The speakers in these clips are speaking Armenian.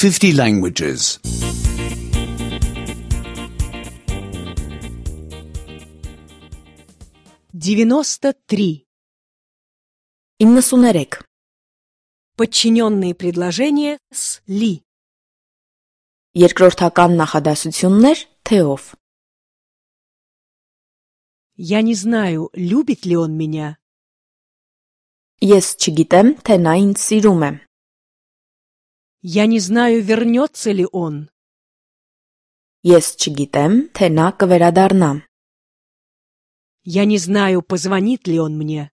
50 languages. 93. 93. Подчиненные предложения с «ли». Երկրորդական նախադասություններ թեով. Я не знаю, любит ли он меня. Ես չգիտեմ, թե նա ինձ սիրում է. Я не знаю, вернется ли он. Ես չգիտեմ, թե նա կվերադառնա. Я не знаю, позвонит ли он мне.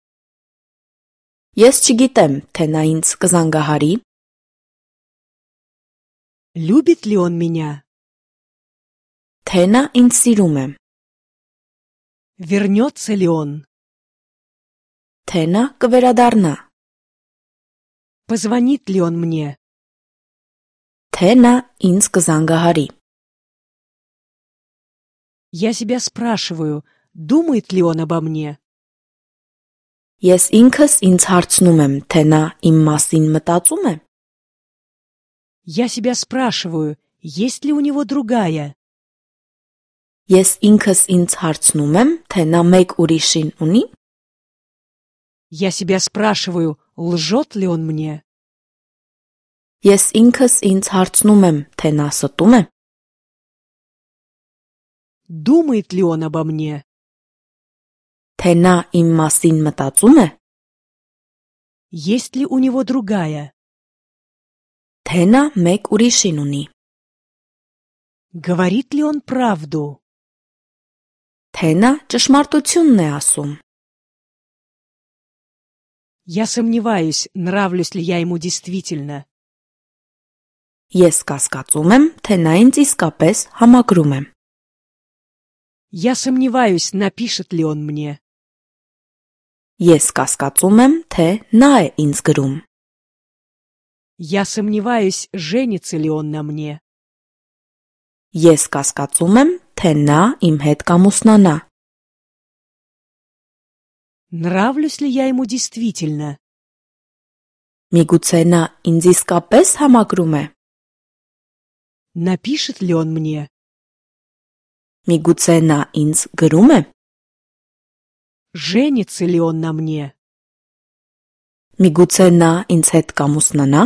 Ես չգիտեմ, թե նա ինձ կզանգահարի. Любит ли он меня. Թե նա ինձ սիրում է. Вернется ли он. Թե նա կվերադառնա. Позвонит ли он мне. Թե նա ինձ կզանգահարի. Я себя спрашиваю, думает ли он обо мне. Ես ինքս ինձ հարցնում եմ, թե նա իմ մասին մտածում է. Я себя спрашиваю, есть ли у него другая. Ես ինքս ինձ հարցնում եմ, թե նա մեկ ուրիշին ունի. Я себя спрашиваю, лжет ли он мне. Ես ինքս ինձ հարցնում եմ, թե նա ստում է. Думает ли он обо мне. Թե նա իմ մասին մտածում է. Есть ли у него другая. Թե նա մեկ ուրիշին ունի. Говорит ли он правду. Թե նա ճշմարտությունն է ասում. Я сомневаюсь, нравлюсь ли я ему действительно. Ես կասկածում եմ, թե նա ինձ իսկապես համակրում է. Я сомневаюсь, напишет ли он мне. Ես կասկածում եմ, թե նա է ինձ գրում. Я сомневаюсь, женится ли он на мне. Ես կասկածում եմ, թե նա իմ հետ կամուսնանա. Нравлюсь ли я ему действительно. Միգուցե նա ինձ իսկապես համակրում է. Напишет ли он мне. Միգուցե նա ինձ գրում է. Женится ли он на мне. Միգուցե նա ինձ հետ կամուսնանա.